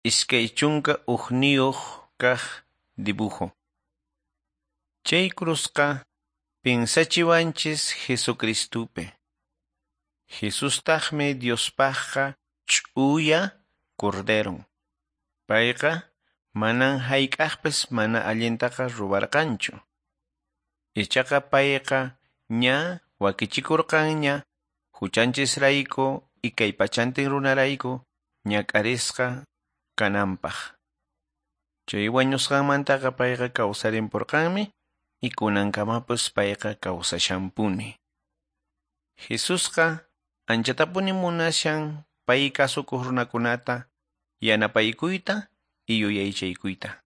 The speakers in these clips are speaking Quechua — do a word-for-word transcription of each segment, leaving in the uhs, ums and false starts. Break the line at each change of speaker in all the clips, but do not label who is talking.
Iskay chunka hukniyuq kaq dibujo. Chay cruzqa pinsachiwanchis Jesucristupi. Jesustaqmi Diospaqqa ch'uya corderon. Payqa manan hayk'aqpis mana allintaqa ruwarqanchu. Ichaqa payqa ña wakichikurqanña huchanchisrayku y kay pachantin runarayku ñak'arisqa kananpaq. Chay wañusqanmantaqa payqa kawsarinpurqanmi y kunankamapas payqa kawsashanpuni. Jesusqa anchatapuni munashan pay kasukuq runakunata yanapaykuyta y yuyaychaykuyta.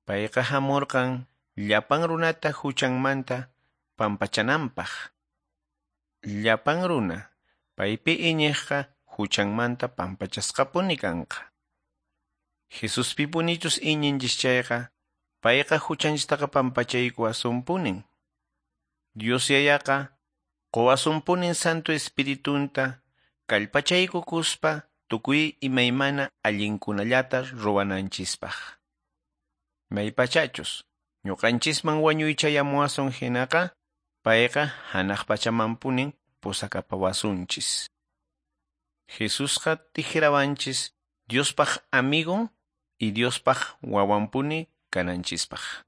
Payqa hamurqan llapan runata huchanmanta pampachananpaq. Llapan runa paypi iñiqqa huchanmanta pampachasqapuni kanqa. Jesuspipunichus iñinchis chayqa payqa huchanchistaqa pampachaykuwasunpunin. Dios Yayaqa quwasunpunin Santo Espiritunta kallpachaykukuspa tukuy imaymana allinkunallata ruwananchispaq. Maypachachus ñuqanchisman wañuy chayamuwasun hinaqa payqa hanaq pachamanpunin pusakapawasunchis. Jesusqa tikrawanchis Diospaq amigon y Diospaq wawanpuni kananchispaq.